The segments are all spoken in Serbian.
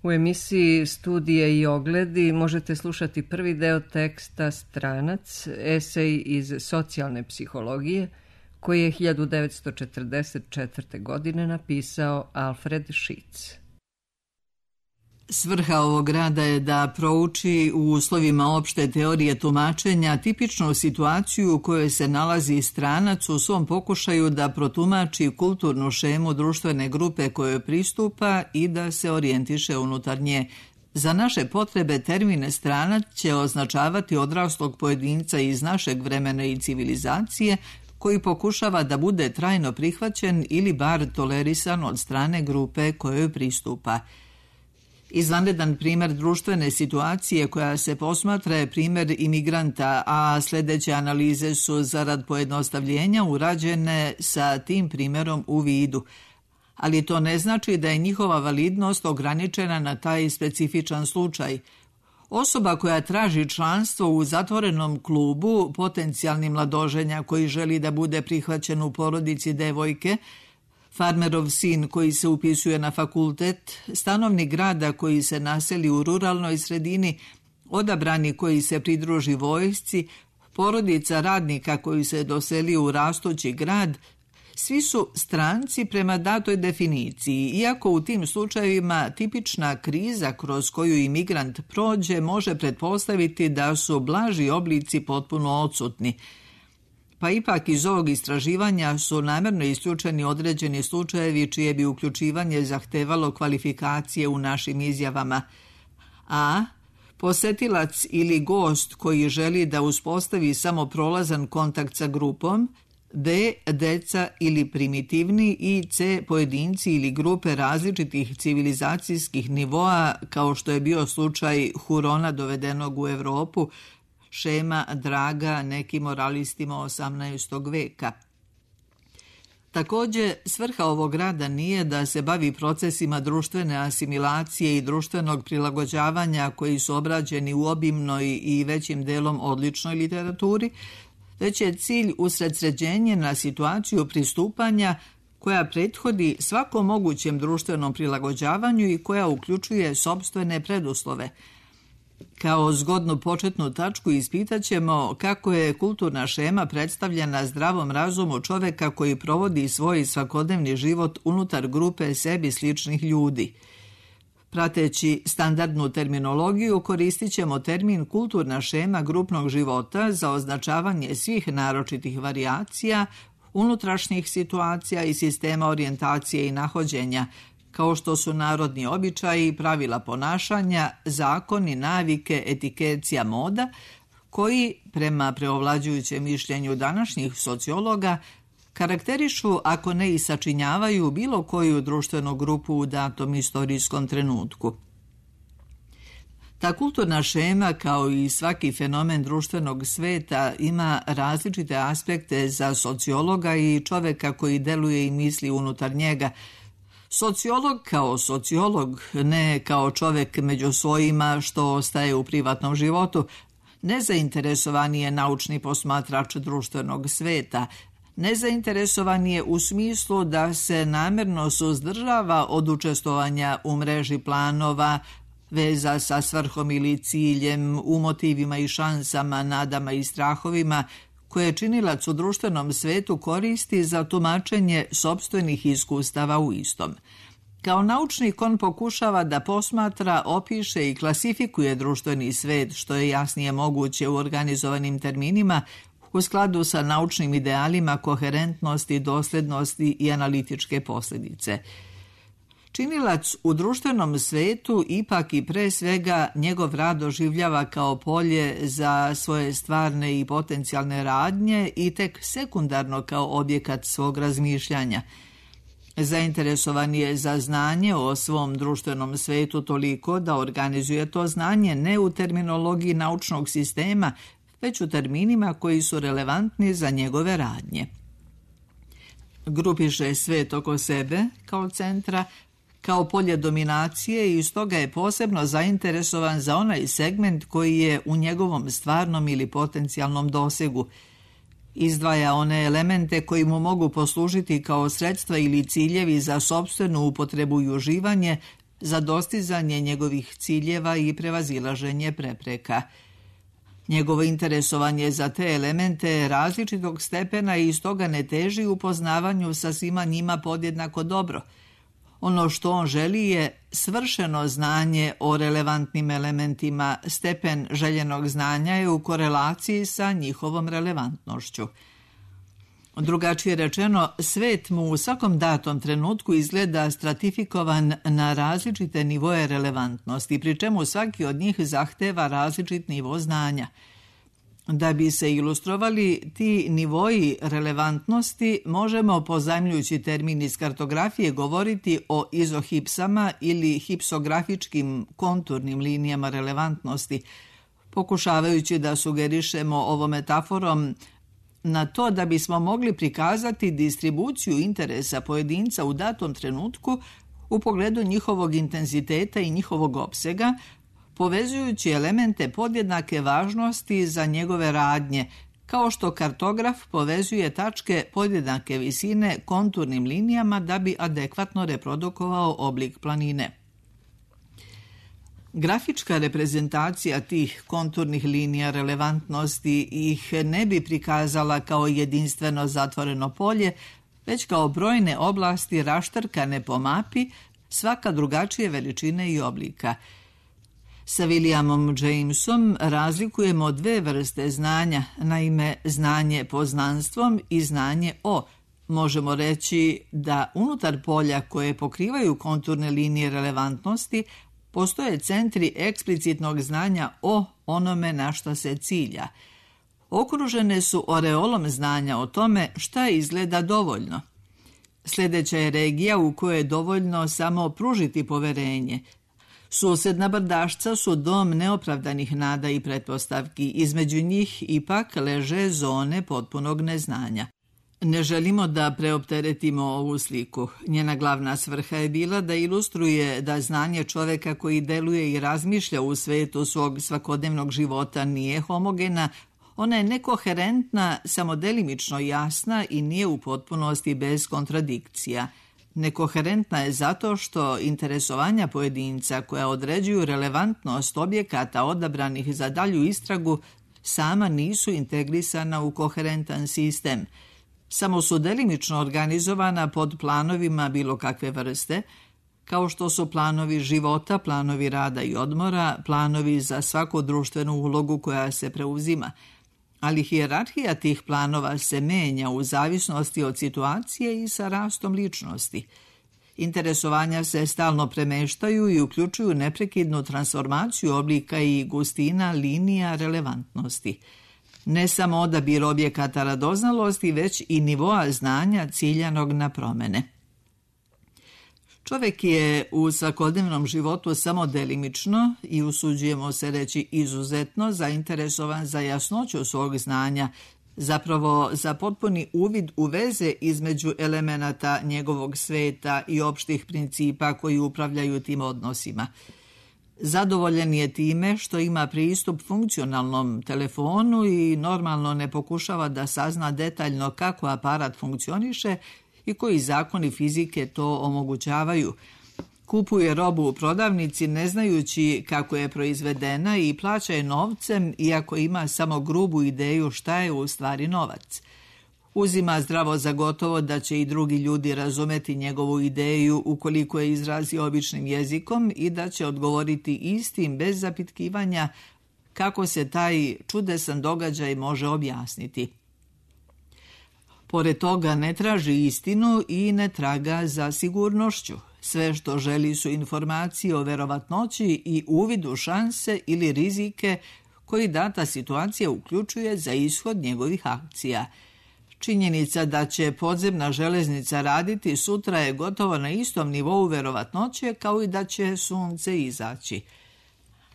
U emisiji Studije i ogledi možete slušati prvi deo teksta Stranac, esej iz socijalne psihologije, koji je 1944. godine napisao Alfred Šitz. Svrha ovog rada je da prouči u uslovima opšte teorije tumačenja tipičnu situaciju u kojoj se nalazi stranac u svom pokušaju da protumači kulturnu šemu društvene grupe kojoj pristupa i da se orijentiše unutar nje. Za naše potrebe termin stranac će označavati odraslog pojedinca iz našeg vremena i civilizacije koji pokušava da bude trajno prihvaćen ili bar tolerisan od strane grupe kojoj pristupa. Izvanredan primjer društvene situacije koja se posmatra je primjer imigranta, a sljedeće analize su zarad pojednostavljenja urađene sa tim primjerom u vidu. Ali to ne znači da je njihova validnost ograničena na taj specifičan slučaj. Osoba koja traži članstvo u zatvorenom klubu, potencijalni mladoženja koji želi da bude prihvaćen u porodici devojke, farmerov sin koji se upisuje na fakultet, stanovnik grada koji se naseli u ruralnoj sredini, odabrani koji se pridruži vojsci, porodica radnika koji se doseli u rastući grad, svi su stranci prema datoj definiciji, iako u tim slučajevima tipična kriza kroz koju imigrant prođe može pretpostaviti da su blaži oblici potpuno odsutni. Pa ipak iz ovog istraživanja su namjerno isključeni određeni slučajevi čije bi uključivanje zahtevalo kvalifikacije u našim izjavama. A. Posetilac ili gost koji želi da uspostavi samo prolazan kontakt sa grupom, B. Deca ili primitivni i C. Pojedinci ili grupe različitih civilizacijskih nivoa kao što je bio slučaj Hurona dovedenog u Europu, šema draga nekim moralistima 18. veka. Također, svrha ovog rada nije da se bavi procesima društvene asimilacije i društvenog prilagođavanja koji su obrađeni u obimnoj i većim delom odličnoj literaturi, već je cilj usredsređenje na situaciju pristupanja koja prethodi svakom mogućem društvenom prilagođavanju i koja uključuje sopstvene preduslove. Kao zgodnu početnu tačku ispitat ćemo kako je kulturna šema predstavljena zdravom razumu čoveka koji provodi svoj svakodnevni život unutar grupe sebi sličnih ljudi. Prateći standardnu terminologiju koristit ćemo termin kulturna šema grupnog života za označavanje svih naročitih varijacija, unutrašnjih situacija i sistema orijentacije i nahođenja, kao što su narodni običaji, pravila ponašanja, zakoni, navike, etikecija, moda, koji, prema preovlađujućem mišljenju današnjih sociologa, karakterišu, ako ne i sačinjavaju, bilo koju društvenu grupu u datom istorijskom trenutku. Ta kulturna šema, kao i svaki fenomen društvenog sveta, ima različite aspekte za sociologa i čoveka koji deluje i misli unutar njega. Sociolog kao sociolog, ne kao čovek među svojima što ostaje u privatnom životu, nezainteresovan je naučni posmatrač društvenog sveta, nezainteresovan je u smislu da se namjerno suzdržava od učestvovanja u mreži planova, veza sa svrhom ili ciljem, u motivima i šansama, nadama i strahovima, koje činilac u društvenom svetu koristi za tumačenje sopstvenih iskustava u istom. Kao naučnik on pokušava da posmatra, opiše i klasifikuje društveni svet, što je jasnije moguće u organizovanim terminima, u skladu sa naučnim idealima koherentnosti, doslednosti i analitičke posljedice. Činilac u društvenom svetu ipak i pre svega njegov rad doživljava kao polje za svoje stvarne i potencijalne radnje i tek sekundarno kao objekat svog razmišljanja. Zainteresovan je za znanje o svom društvenom svetu toliko da organizuje to znanje ne u terminologiji naučnog sistema, već u terminima koji su relevantni za njegove radnje. Grupiše svet oko sebe kao centra, kao polje dominacije i stoga je posebno zainteresovan za onaj segment koji je u njegovom stvarnom ili potencijalnom dosegu. Izdvaja one elemente koji mu mogu poslužiti kao sredstva ili ciljevi za sopstvenu upotrebu i uživanje, za dostizanje njegovih ciljeva i prevazilaženje prepreka. Njegovo interesovanje za te elemente je različitog stepena i stoga ne teži u poznavanju sa svima njima podjednako dobro. Ono što on želi je svršeno znanje o relevantnim elementima, stepen željenog znanja je u korelaciji sa njihovom relevantnošću. Drugačije rečeno, svet mu u svakom datom trenutku izgleda stratifikovan na različite nivoje relevantnosti, pri čemu svaki od njih zahteva različit nivo znanja. Da bi se ilustrovali ti nivoji relevantnosti, možemo, pozajmljujući termin iz kartografije, govoriti o izohipsama ili hipsografičkim konturnim linijama relevantnosti, pokušavajući da sugerišemo ovom metaforom na to da bismo mogli prikazati distribuciju interesa pojedinca u datom trenutku u pogledu njihovog intenziteta i njihovog opsega, povezujući elemente podjednake važnosti za njegove radnje, kao što kartograf povezuje tačke podjednake visine konturnim linijama da bi adekvatno reprodukovao oblik planine. Grafička reprezentacija tih konturnih linija relevantnosti ih ne bi prikazala kao jedinstveno zatvoreno polje, već kao brojne oblasti raštrkane po mapi, svaka drugačije veličine i oblika. Sa Williamom Jamesom razlikujemo dve vrste znanja, naime znanje poznanstvom i znanje o. Možemo reći da unutar polja koje pokrivaju konturne linije relevantnosti postoje centri eksplicitnog znanja o onome na što se cilja. Okružene su oreolom znanja o tome šta izgleda dovoljno. Sljedeća je regija u kojoj je dovoljno samo pružiti poverenje. Susedna brdašca su dom neopravdanih nada i pretpostavki, između njih ipak leže zone potpunog neznanja. Ne želimo da preopteretimo ovu sliku. Njena glavna svrha je bila da ilustruje da znanje čoveka koji deluje i razmišlja u svetu svog svakodnevnog života nije homogena, ona je nekoherentna, samo delimično jasna i nije u potpunosti bez kontradikcija. Nekoherentna je zato što interesovanja pojedinca koja određuju relevantnost objekata odabranih za dalju istragu sama nisu integrisana u koherentan sistem. Samo su delimično organizovana pod planovima bilo kakve vrste, kao što su planovi života, planovi rada i odmora, planovi za svaku društvenu ulogu koja se preuzima. Ali hijerarhija tih planova se menja u zavisnosti od situacije i sa rastom ličnosti. Interesovanja se stalno premeštaju i uključuju neprekidnu transformaciju oblika i gustina linija relevantnosti. Ne samo odabir objekata radoznalosti, već i nivoa znanja ciljanog na promene. Čovjek je u svakodnevnom životu samo delimično i usuđujemo se reći izuzetno zainteresovan za jasnoću svog znanja, zapravo za potpuni uvid u veze između elemenata njegovog sveta i opštih principa koji upravljaju tim odnosima. Zadovoljan je time što ima pristup funkcionalnom telefonu i normalno ne pokušava da sazna detaljno kako aparat funkcioniše i koji zakoni fizike to omogućavaju. Kupuje robu u prodavnici ne znajući kako je proizvedena i plaća je novcem iako ima samo grubu ideju šta je u stvari novac. Uzima zdravo za gotovo da će i drugi ljudi razumeti njegovu ideju ukoliko je izrazi običnim jezikom i da će odgovoriti istim bez zapitkivanja kako se taj čudesan događaj može objasniti. Pored toga ne traži istinu i ne traga za sigurnošću. Sve što želi su informacije o verovatnoći i uvidu šanse ili rizike koji data situacija uključuje za ishod njegovih akcija. Činjenica da će podzemna železnica raditi sutra je gotovo na istom nivou verovatnoće kao i da će sunce izaći.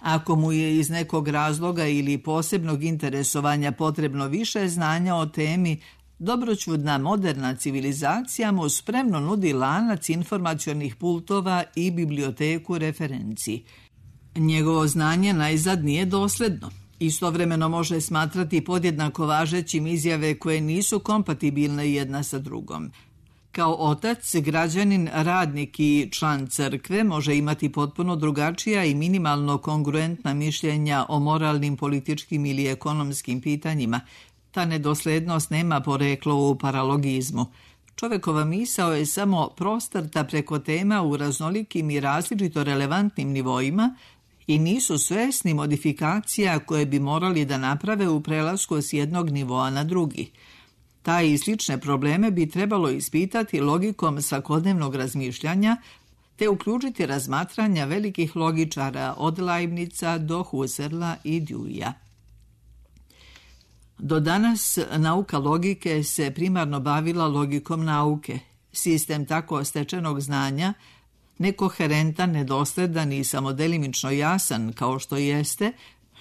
Ako mu je iz nekog razloga ili posebnog interesovanja potrebno više znanja o temi, dobroćudna moderna civilizacija mu spremno nudi lanac informacionih pultova i biblioteku referenci. Njegovo znanje najzad nije dosledno. Istovremeno može smatrati podjednako važećim izjave koje nisu kompatibilne jedna sa drugom. Kao otac, građanin, radnik i član crkve može imati potpuno drugačija i minimalno kongruentna mišljenja o moralnim, političkim ili ekonomskim pitanjima. Ta nedoslednost nema poreklo u paralogizmu. Čovekova misao je samo prostrta preko tema u raznolikim i različito relevantnim nivoima i nisu svesni modifikacija koje bi morali da naprave u prelasku s jednog nivoa na drugi. Taj i slične probleme bi trebalo ispitati logikom svakodnevnog razmišljanja te uključiti razmatranja velikih logičara od Leibnica do Husserla i Deweyja. Do danas nauka logike se primarno bavila logikom nauke. Sistem tako stečenog znanja, nekoherentan, nedosledan i samodelimično jasan kao što jeste,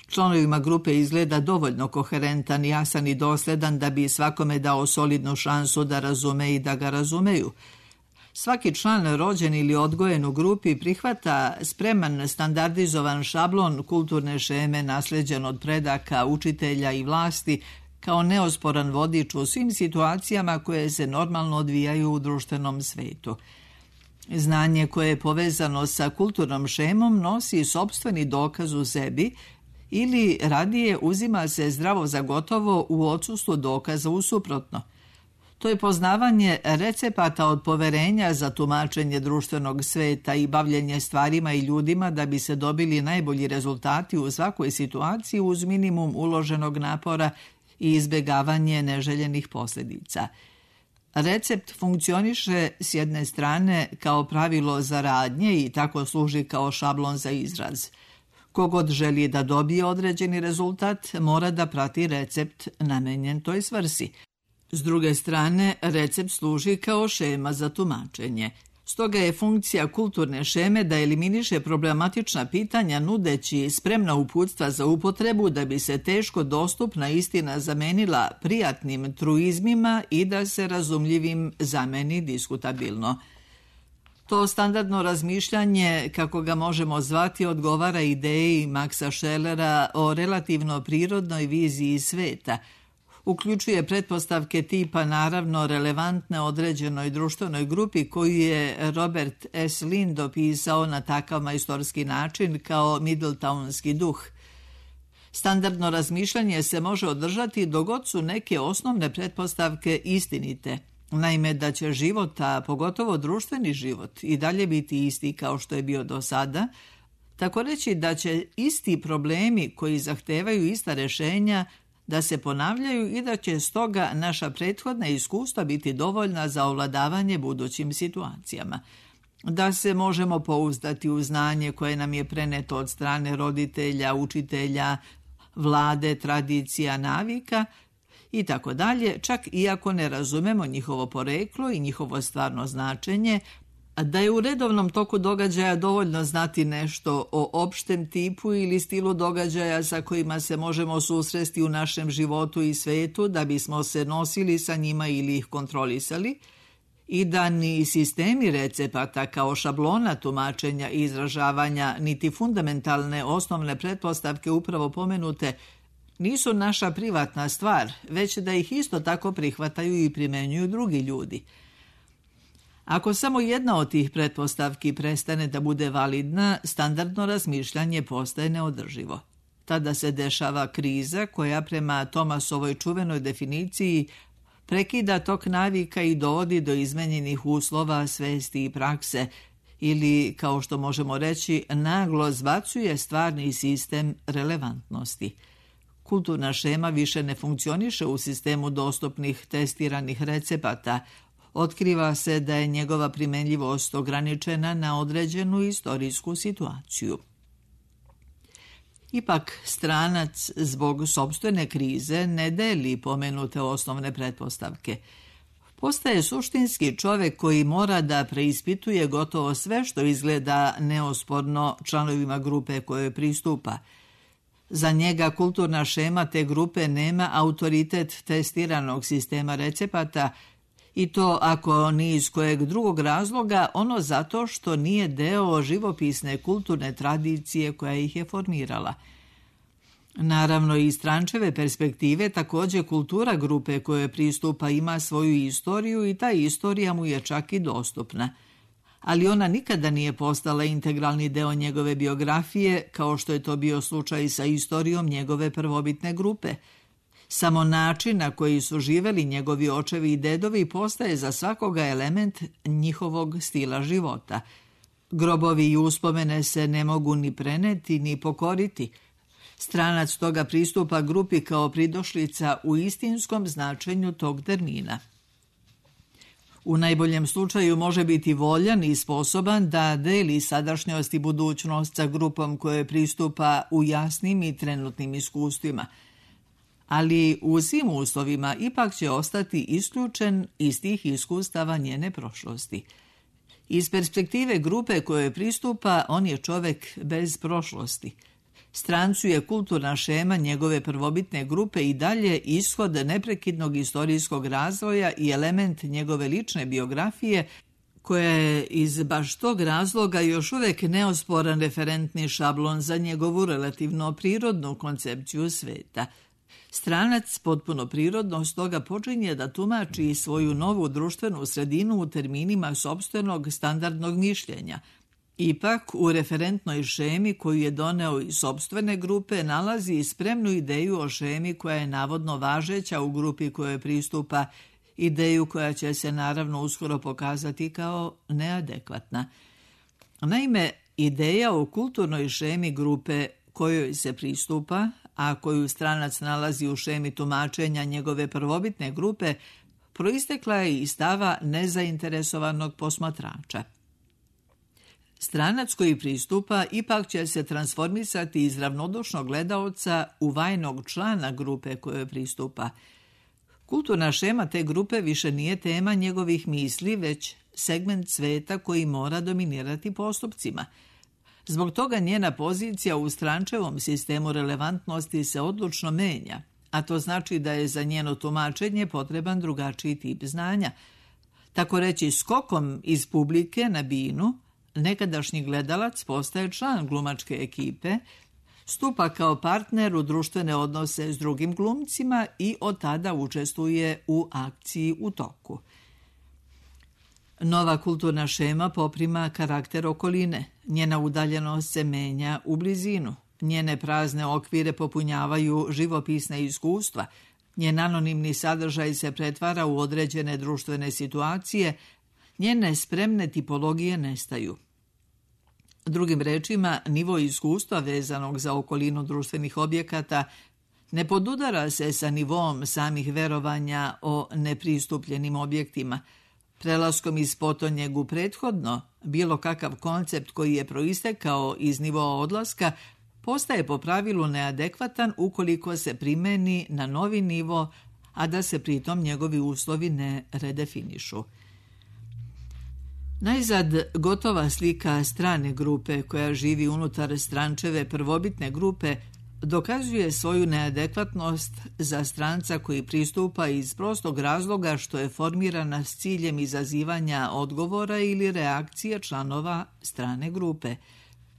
članovima grupe izgleda dovoljno koherentan, jasan i dosledan da bi svakome dao solidnu šansu da razume i da ga razumeju. Svaki član rođen ili odgojen u grupi prihvata spreman standardizovan šablon kulturne šeme nasleđen od predaka, učitelja i vlasti kao neosporan vodič u svim situacijama koje se normalno odvijaju u društvenom svetu. Znanje koje je povezano sa kulturnom šemom nosi sopstveni dokaz u sebi ili radije uzima se zdravo za gotovo u odsustvu dokaza u suprotno. To je poznavanje recepata od poverenja za tumačenje društvenog sveta i bavljenje stvarima i ljudima da bi se dobili najbolji rezultati u svakoj situaciji uz minimum uloženog napora i izbjegavanje neželjenih posljedica. Recept funkcioniše s jedne strane kao pravilo za radnje i tako služi kao šablon za izraz. Kogod želi da dobije određeni rezultat, mora da prati recept namenjen toj svrsi. S druge strane, recept služi kao šema za tumačenje. Stoga je funkcija kulturne šeme da eliminiše problematična pitanja nudeći spremna uputstva za upotrebu da bi se teško dostupna istina zamenila prijatnim truizmima i da se razumljivim zameni diskutabilno. To standardno razmišljanje, kako ga možemo zvati, odgovara ideji Maxa Schellera o relativno prirodnoj viziji sveta. Uključuje pretpostavke tipa naravno relevantne određenoj društvenoj grupi koju je Robert S. Lind opisao na takav majstorski način kao Middletownski duh. Standardno razmišljanje se može održati dok god su neke osnovne pretpostavke istinite. Naime, da će život, a pogotovo društveni život, i dalje biti isti kao što je bio do sada, tako reći da će isti problemi koji zahtevaju ista rješenja da se ponavljaju i da će stoga naša prethodna iskustva biti dovoljna za ovladavanje budućim situacijama. Da se možemo pouzdati u znanje koje nam je preneto od strane roditelja, učitelja, vlade, tradicija, navika i tako dalje, čak iako ne razumemo njihovo poreklo i njihovo stvarno značenje, da je u redovnom toku događaja dovoljno znati nešto o opštem tipu ili stilu događaja sa kojima se možemo susresti u našem životu i svetu da bismo se nosili sa njima ili ih kontrolisali, i da ni sistemi recepata kao šablona tumačenja i izražavanja, niti fundamentalne osnovne pretpostavke upravo pomenute nisu naša privatna stvar, već da ih isto tako prihvataju i primenjuju drugi ljudi. Ako samo jedna od tih pretpostavki prestane da bude validna, standardno razmišljanje postaje neodrživo. Tada se dešava kriza koja prema Thomasovoj čuvenoj definiciji prekida tok navika i dovodi do izmenjenih uslova, svesti i prakse, ili, kao što možemo reći, naglo zbacuje stvarni sistem relevantnosti. Kulturna šema više ne funkcioniše u sistemu dostupnih testiranih recepata. Otkriva se da je njegova primenljivost ograničena na određenu istorijsku situaciju. Ipak, stranac zbog sopstvene krize ne deli pomenute osnovne pretpostavke. Postaje suštinski čovek koji mora da preispituje gotovo sve što izgleda neosporno članovima grupe kojoj pristupa. Za njega kulturna šema te grupe nema autoritet testiranog sistema recepata, i to ako ni iz kojeg drugog razloga, ono zato što nije deo živopisne kulturne tradicije koja ih je formirala. Naravno, iz Strančeve perspektive također kultura grupe koje pristupa ima svoju istoriju i ta istorija mu je čak i dostupna. Ali ona nikada nije postala integralni deo njegove biografije, kao što je to bio slučaj sa istorijom njegove prvobitne grupe. Samo način na koji su živeli njegovi očevi i dedovi postaje za svakoga element njihovog stila života. Grobovi i uspomene se ne mogu ni preneti ni pokoriti. Stranac toga pristupa grupi kao pridošlica u istinskom značenju tog termina. U najboljem slučaju može biti voljan i sposoban da deli sadašnjost i budućnost sa grupom koje pristupa u jasnim i trenutnim iskustvima. Ali u svim uslovima ipak će ostati isključen iz tih iskustava njene prošlosti. Iz perspektive grupe koje pristupa, on je čovek bez prošlosti. Strancu je kulturna šema njegove prvobitne grupe i dalje ishod neprekidnog istorijskog razvoja i element njegove lične biografije, koja je iz baš tog razloga još uvek neosporan referentni šablon za njegovu relativno prirodnu koncepciju sveta. Stranac potpuno prirodno stoga počinje da tumači svoju novu društvenu sredinu u terminima sopstvenog standardnog mišljenja. Ipak, u referentnoj šemi koju je doneo iz sopstvene grupe nalazi spremnu ideju o šemi koja je navodno važeća u grupi kojoj pristupa, ideju koja će se naravno uskoro pokazati kao neadekvatna. Naime, ideja o kulturnoj šemi grupe kojoj se pristupa, a koju stranac nalazi u šemi tumačenja njegove prvobitne grupe, proistekla je iz stava nezainteresovanog posmatrača. Stranac koji pristupa ipak će se transformisati iz ravnodušnog gledaoca u vajnog člana grupe kojoj pristupa. Kulturna šema te grupe više nije tema njegovih misli, već segment sveta koji mora dominirati postupcima. Zbog toga njena pozicija u Strančevom sistemu relevantnosti se odlučno menja, a to znači da je za njeno tumačenje potreban drugačiji tip znanja. Tako reći, skokom iz publike na binu, nekadašnji gledalac postaje član glumačke ekipe, stupa kao partner u društvene odnose s drugim glumcima i od tada učestvuje u akciji u toku. Nova kulturna šema poprima karakter okoline, njena udaljenost se menja u blizinu, njene prazne okvire popunjavaju živopisne iskustva, njen anonimni sadržaj se pretvara u određene društvene situacije, njene spremne tipologije nestaju. Drugim rečima, nivo iskustva vezanog za okolinu društvenih objekata ne podudara se sa nivom samih verovanja o nepristupljenim objektima. Prelaskom iz potonjeg u prethodno, bilo kakav koncept koji je proistekao iz nivoa odlaska postaje po pravilu neadekvatan ukoliko se primeni na novi nivo, a da se pritom njegovi uslovi ne redefinišu. Najzad, gotova slika strane grupe koja živi unutar Strančeve prvobitne grupe dokazuje svoju neadekvatnost za stranca koji pristupa iz prostog razloga što je formirana s ciljem izazivanja odgovora ili reakcije članova strane grupe.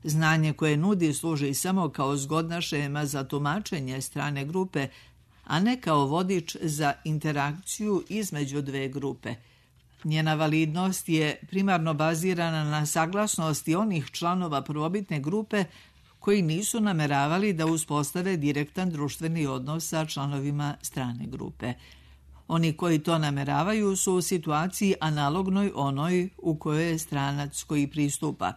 Znanje koje nudi služi samo kao zgodna šema za tumačenje strane grupe, a ne kao vodič za interakciju između dve grupe. Njena validnost je primarno bazirana na saglasnosti onih članova prvobitne grupe koji nisu nameravali da uspostave direktan društveni odnos sa članovima strane grupe. Oni koji to nameravaju su u situaciji analognoj onoj u kojoj je stranac koji pristupa.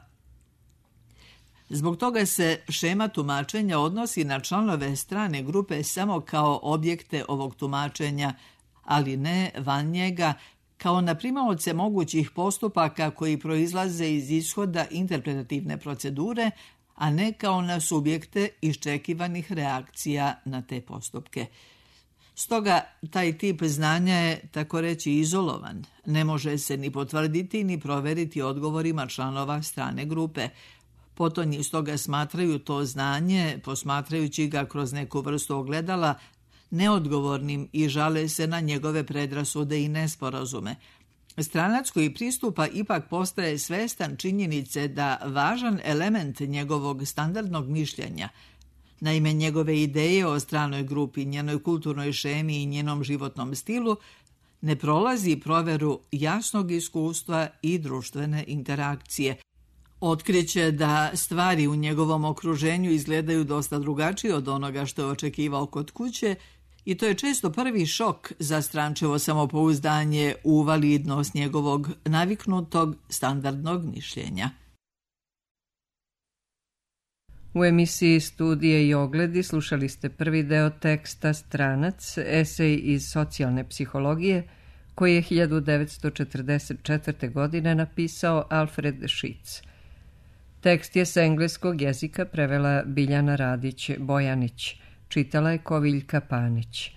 Zbog toga se šema tumačenja odnosi na članove strane grupe samo kao objekte ovog tumačenja, ali ne van njega, kao na primaoce mogućih postupaka koji proizlaze iz ishoda interpretativne procedure, a ne kao na subjekte iščekivanih reakcija na te postupke. Stoga, taj tip znanja je, tako reći, izolovan. Ne može se ni potvrditi ni proveriti odgovorima članova strane grupe. Potonji stoga smatraju to znanje, posmatrajući ga kroz neku vrstu ogledala, neodgovornim i žale se na njegove predrasude i nesporazume. Stranac koji pristupa ipak postaje svestan činjenice da važan element njegovog standardnog mišljenja, Naime, njegove ideje o stranoj grupi, njenoj kulturnoj šemi i njenom životnom stilu ne prolazi proveru jasnog iskustva i društvene interakcije. Otkriće da stvari u njegovom okruženju izgledaju dosta drugačije od onoga što je očekivao kod kuće i to je često prvi šok za strančevo samopouzdanje u validnost njegovog naviknutog standardnog mišljenja. U emisiji Studije i ogledi slušali ste prvi deo teksta Stranac, esej iz socijalne psihologije, koji je 1944. godine napisao Alfred Šitz. Tekst je sa engleskog jezika prevela Biljana Radić-Bojanić, čitala je Koviljka Panić.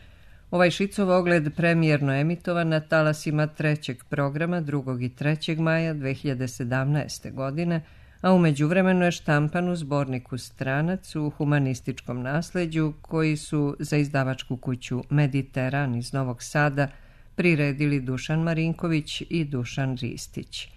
Ovaj Šicov ogled premijerno emitovan na talasima trećeg programa 2. i 3. maja 2017. godine, a u međuvremenu je štampan u zborniku Stranac u humanističkom nasleđu koji su za izdavačku kuću Mediteran iz Novog Sada priredili Dušan Marinković i Dušan Ristić.